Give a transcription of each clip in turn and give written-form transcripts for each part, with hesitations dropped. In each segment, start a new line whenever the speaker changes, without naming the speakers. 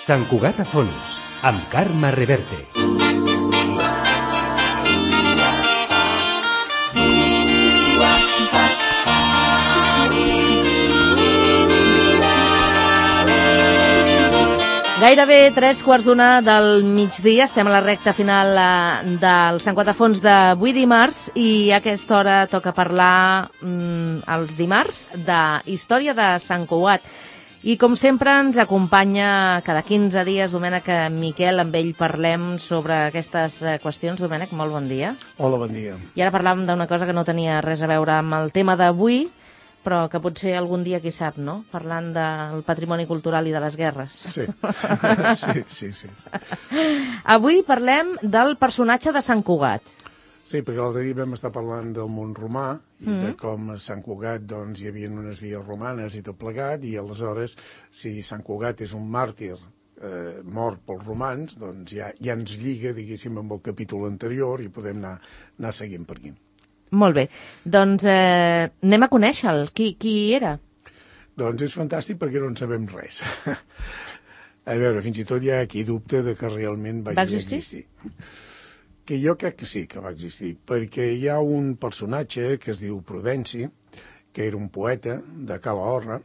Sant Cugat a fons, amb Carme Reverte.
Gairebé 3:15 del migdia, estem a la recta final del Sant Cugat a fons d'avui dimarts i a aquesta hora toca parlar els dimarts de història de Sant Cugat. I com sempre ens acompanya cada 15 dies Domènec Miquel, amb ell parlem sobre aquestes qüestions. Domènec, molt bon dia.
Hola, bon dia.
I ara parlàvem d'una cosa que no tenia res a veure amb el tema d'avui, però que potser algun dia, qui sap, no? Parlant del patrimoni cultural i de les guerres.
Sí. Sí.
Avui parlem del personatge de Sant Cugat.
Sí, perquè l'altre dia vam estar parlant del món romà i de com a Sant Cugat doncs, hi havia unes vies romanes i tot plegat, i aleshores, si Sant Cugat és un màrtir mort pels romans, doncs ja ens lliga, diguéssim, amb el capítol anterior i podem anar seguint per aquí.
Molt bé. Doncs anem a conèixer-lo. Qui era?
Doncs és fantàstic perquè no en sabem res. A veure, fins i tot hi ha qui dubta de que realment va existir. Que jo crec que sí que va existir, perquè hi ha un personatge que es diu Prudenci, que era un poeta de Calahorra,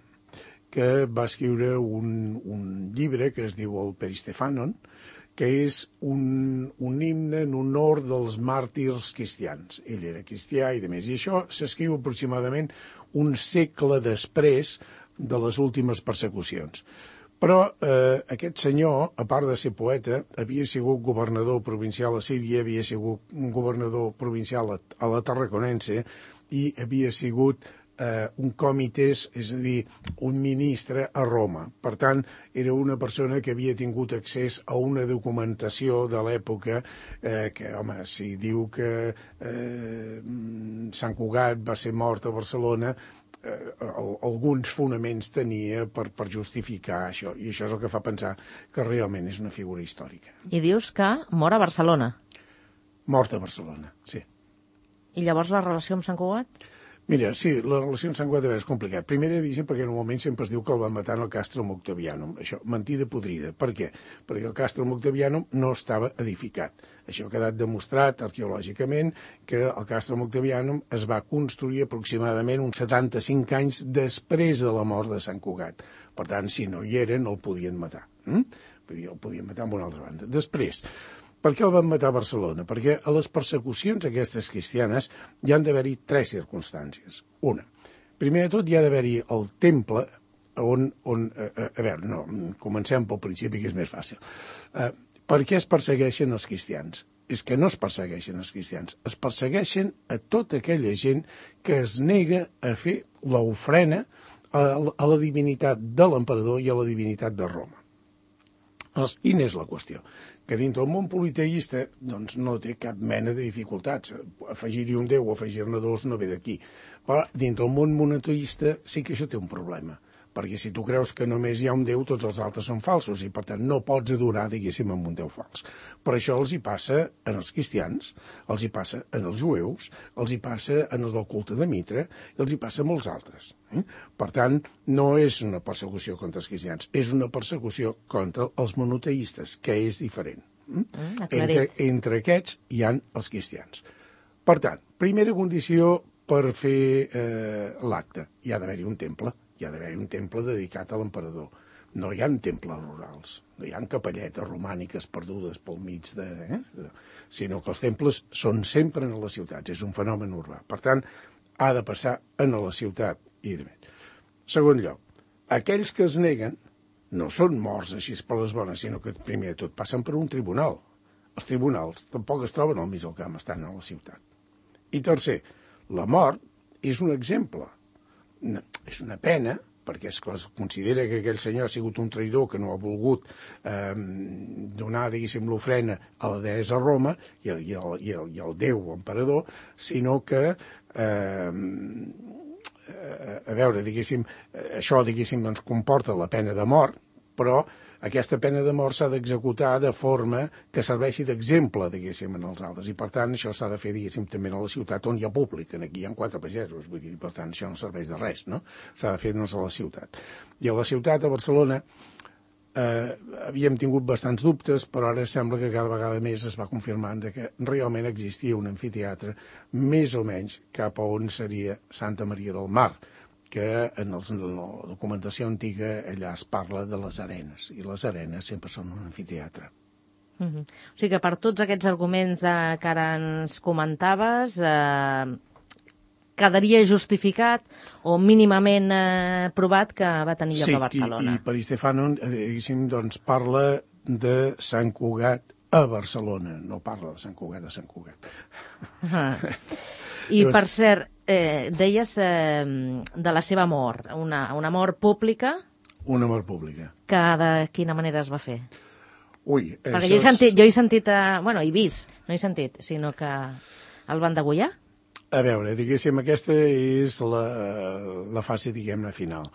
que va escriure un llibre que es diu el Peristephanon, que és un himne en honor dels màrtirs cristians. Ell era cristià i demés. I això s'escriu aproximadament un segle després de les últimes persecucions. Però aquest senyor, a part de ser poeta, havia sigut governador provincial a Síria, havia sigut un governador provincial a la Tarraconense i havia sigut un comités, és a dir, un ministre a Roma. Per tant, era una persona que havia tingut accés a una documentació de l'època que, home, si diu que Sant Cugat va ser mort a Barcelona, alguns fonaments tenia per justificar això, i això és el que fa pensar que realment és una figura històrica.
I dius que mor a Barcelona.
Mort a Barcelona, sí.
I llavors la relació amb Sant Cugat?
Mira, sí, la relació amb Sant Cugat és complicat. Primer, diguéssim, perquè normalment sempre es diu que el van matar en el Castrum Octavianum. Això, mentida podrida. Per què? Perquè el Castrum Octavianum no estava edificat. Això ha quedat demostrat arqueològicament que el Castrum Octavianum es va construir aproximadament uns 75 anys després de la mort de Sant Cugat. Per tant, si no hi eren, el podien matar. Vull dir, el podien matar amb una altra banda. Després, per què el van matar a Barcelona? Perquè a les persecucions aquestes cristianes hi han d'haver-hi 3 circumstàncies. Una, primer de tot hi ha d'haver-hi el temple on a veure, no, comencem pel principi que és més fàcil. Per què es persegueixen els cristians? És que no es persegueixen els cristians, es persegueixen a tota aquella gent que es nega a fer l'ofrena a la divinitat de l'emperador i a la divinitat de Roma. Quina és la qüestió? Que dintre el món politeista doncs, no té cap mena de dificultats. Afegir-hi un déu o afegir-ne 2 no ve d'aquí. Però dintre el món monoteista sí que això té un problema. Perquè si tu creus que només hi ha un déu, tots els altres són falsos i per tant no pots adorar, diguéssim, amb un déu fals. Per això els hi passa en els cristians, els hi passa en els jueus, els hi passa en els del culte de Mitra, i els hi passa a molts altres. Per tant, no és una persecució contra els cristians, és una persecució contra els monoteistes, que és diferent. Entre aquests hi han els cristians. Per tant, primera condició per fer l'acte, hi ha d'haver-hi un temple. Hi ha d'haver un temple dedicat a l'emperador. No hi ha temples rurals, no hi ha capelletes romàniques perdudes pel mig sinó que els temples són sempre en les ciutats, és un fenomen urbà. Per tant, ha de passar en la ciutat. Segon lloc, aquells que es neguen no són morts així per les bones, sinó que primer de tot passen per un tribunal. Els tribunals tampoc es troben al mig del camp, estan a la ciutat. I tercer, la mort és un exemple. És una pena, perquè es considera que aquell senyor ha sigut un traïdor que no ha volgut donar, diguéssim, l'ofrena a la deessa Roma i al déu emperador, sinó que, a veure, diguéssim, això, diguéssim, doncs, comporta la pena de mort, però aquesta pena de mort s'ha d'executar de forma que serveixi d'exemple, diguéssim, en els altres. I, per tant, això s'ha de fer, diguéssim, també a la ciutat on hi ha públic. Aquí hi ha 4 pagesos, vull dir, per tant, això no serveix de res, no? S'ha de fer a la ciutat. I a la ciutat, a Barcelona, havíem tingut bastants dubtes, però ara sembla que cada vegada més es va confirmant que realment existia un amfiteatre més o menys cap a on seria Santa Maria del Mar, que en la documentació antiga allà es parla de les arenes, i les arenes sempre són un amfiteatre.
O sigui que per tots aquests arguments que ara ens comentaves, quedaria justificat o mínimament provat que va tenir lloc a Barcelona.
Sí, i Peristefano, doncs, parla de Sant Cugat a Barcelona, no parla de Sant Cugat a Sant Cugat.
I, per cert, deies de la seva mort, una mort pública.
Una mort pública.
Que de quina manera es va fer?
Ui,
perquè jo he sentit, bueno, he vist, no he sentit, sinó que el van degollar?
A veure, diguéssim, aquesta és la fase, diguem-ne, final.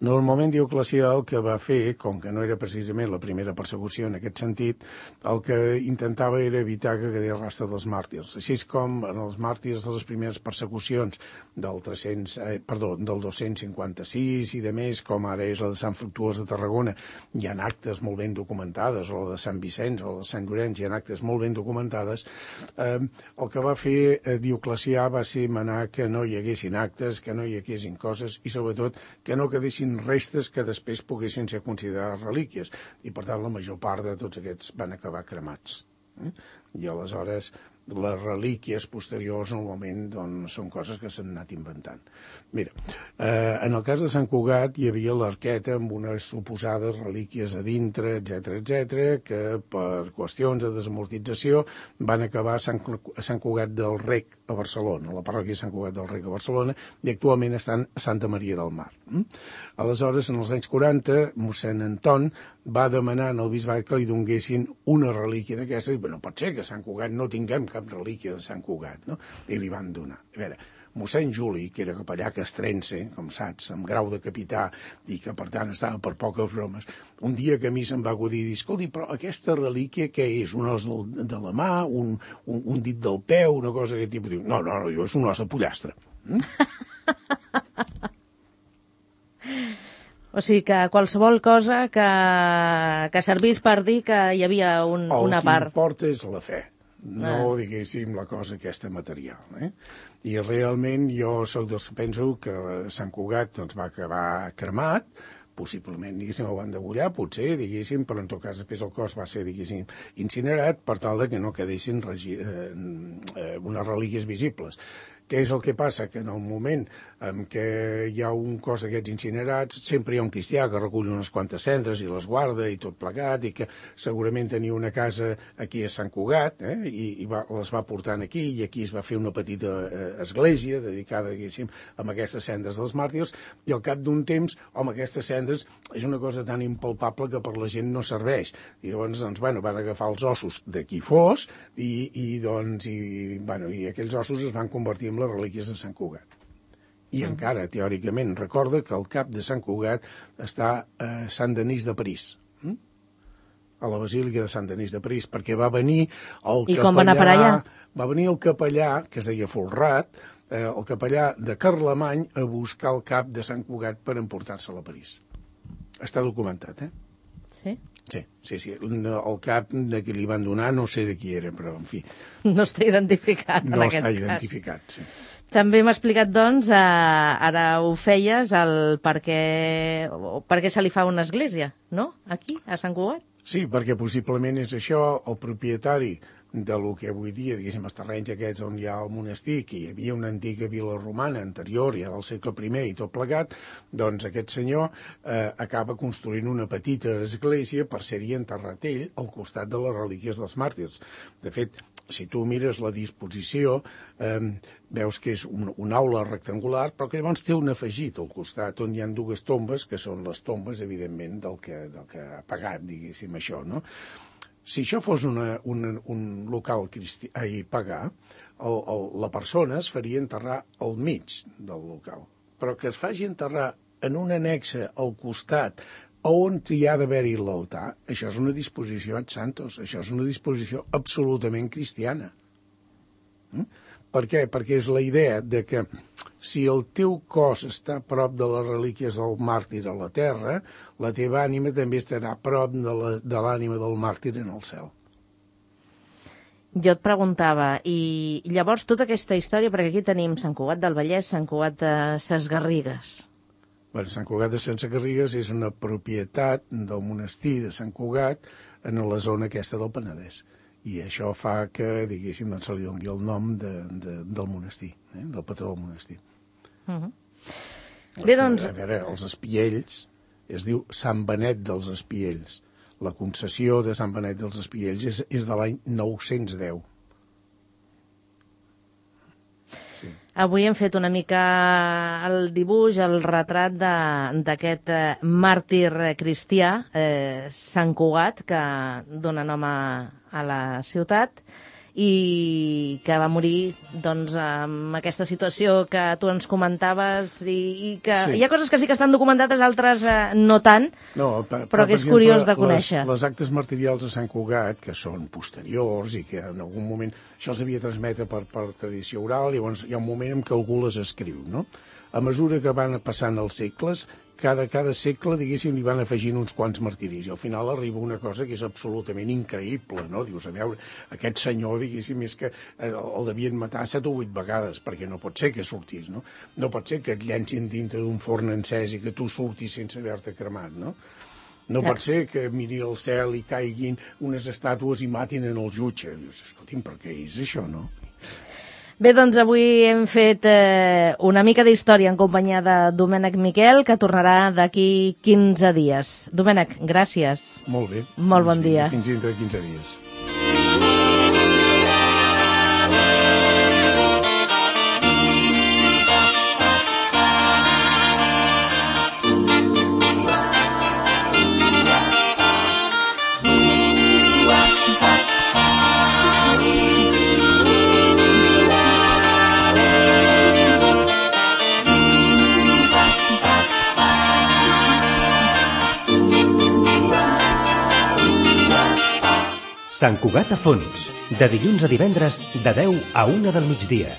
Normalment Dioclecià el que va fer, com que no era precisament la primera persecució en aquest sentit, el que intentava era evitar que quedés rastre dels màrtirs. Així com en els màrtirs de les primeres persecucions del 256 i de més, com ara és la de Sant Fructuós de Tarragona, hi ha actes molt ben documentades, o la de Sant Vicenç o la de Sant Llorenç, hi ha actes molt ben documentades. El que va fer Dioclecià va ser manar que no hi haguessin actes, que no hi haguessin coses i, sobretot, que no quedessin restes que després poguessin ser considerades relíquies. I, per tant, la major part de tots aquests van acabar cremats. I, aleshores, les relíquies posteriors, normalment, doncs, són coses que s'han anat inventant. Mira, en el cas de Sant Cugat hi havia l'arqueta amb unes suposades relíquies a dintre, etc, que per qüestions de desamortització van acabar a Sant Cugat del Rec a Barcelona, a la parròquia de Sant Cugat del Rec a Barcelona, i actualment estan a Santa Maria del Mar. Aleshores, en els anys 40, mossèn Anton va demanar al bisbat que li donguessin una relíquia d'aquestes, i no pot ser que a Sant Cugat no tinguem cap relíquia de Sant Cugat, no? I li van donar. A veure, mossèn Juli, que era capellà castrense, com saps, amb grau de capità, i que per tant estava per poques bromes, un dia que a mi se'm va acudir i dir, escolti, però aquesta relíquia què és? Un os de la mà, un dit del peu, una cosa d'aquest tipus? Diu, no, és un os de pollastre.
O sigui que qualsevol cosa que servís per dir que hi havia una part.
El que importa és la fe, no, diguéssim, la cosa aquesta material. I realment jo sóc dels que penso que Sant Cugat doncs, va acabar cremat, possiblement, diguéssim, el van degollar, potser, diguéssim, però en tot cas després el cos va ser, diguéssim, incinerat per tal de que no quedessin unes relíquies visibles. Què és el que passa? Que en el moment en què hi ha un cos d'aquests incinerats, sempre hi ha un cristià que recull unes quantes cendres i les guarda i tot plegat, i que segurament tenia una casa aquí a Sant Cugat, i les va portant aquí, i aquí es va fer una petita església dedicada, diguéssim, a aquestes cendres dels màrtirs, i al cap d'un temps, home, aquestes cendres és una cosa tan impalpable que per la gent no serveix. I llavors, doncs, bueno, van agafar els ossos de qui fos, i aquells ossos es van convertir en les relíquies de Sant Cugat. I encara, teòricament, recorda que el cap de Sant Cugat està a Sant Denis de París, a la Basílica de Sant Denis de París, perquè va venir el capellà...
I com va anar per allà?
Va venir el capellà, que es deia Folrat, el capellà de Carlemany, a buscar el cap de Sant Cugat per emportar-se'l a París. Està documentat,
Sí?
Sí. El cap de qui li van donar no sé de qui era, però, en fi...
No està identificat, en aquest cas.
No està identificat, sí.
També m'ha explicat, doncs, ara ho feies, per què se li fa una església, no?, aquí, a Sant Cugat.
Sí, perquè possiblement és això, el propietari del que avui dia, diguéssim, els terrenys aquests on hi ha el monestir, que hi havia una antiga vila romana anterior, ja del segle I i tot plegat, doncs aquest senyor acaba construint una petita església per ser-hi enterrat ell al costat de les relíquies dels màrtirs. De fet, si tu mires la disposició, veus que és una aula rectangular, però que llavors té un afegit al costat, on hi ha dues tombes, que són les tombes, evidentment, del que ha pagat, diguéssim, això, no? Si això fos un local pagà, la persona es faria enterrar al mig del local, però que es faci enterrar en un annexe al costat on hi ha d'haver-hi l'altar, això és una disposició ad santos, això és una disposició absolutament cristiana. Per què? Perquè és la idea de que si el teu cos està a prop de les relíquies del màrtir a la terra, la teva ànima també estarà a prop de l'ànima del màrtir en el cel.
Jo et preguntava, i llavors tota aquesta història, perquè aquí tenim Sant Cugat del Vallès, Sant Cugat de Ses Garrigues.
Bueno, Sant Cugat de Ses Garrigues és una propietat del monestir de Sant Cugat en la zona aquesta del Penedès. I això fa que, diguéssim, doncs se li doni el nom del monestir, del patró del monestir.
Bé, doncs...
A veure, els Espiells, es diu Sant Benet dels Espiells. La concessió de Sant Benet dels Espiells és de l'any 910. Sí.
Avui hem fet una mica el dibuix, el retrat d'aquest màrtir cristià, Sant Cugat, que dona nom a la ciutat, i que va morir doncs, amb aquesta situació que tu ens comentaves i que sí. Hi ha coses que sí que estan documentades, altres no tant, però que és curiós de conèixer.
Les actes martirials de Sant Cugat, que són posteriors i que en algun moment això s'havia transmetre per tradició oral, llavors hi ha un moment en què algú les escriu, no? A mesura que van passant els segles, cada segle, diguéssim, li van afegint uns quants martiris, i al final arriba una cosa que és absolutament increïble, no? Dius, a veure, aquest senyor, diguéssim, és que el devien matar 7 o 8 vegades, perquè no pot ser que sortís, no? No pot ser que et llencin dintre d'un forn encès i que tu surtis sense haver-te cremat, no? No pot ser que miri al cel i caiguin unes estàtues i matin en el jutge. Dius, escolti'm, per què és això, no?
Bé, doncs avui hem fet una mica d'història en companyia de Domènec Miquel, que tornarà d'aquí 15 dies. Domènec, gràcies.
Molt bé.
Molt bon dia.
Fins dintre de 15 dies.
Sant Cugat a fons, de dilluns a divendres, de 10 a 1 del migdia.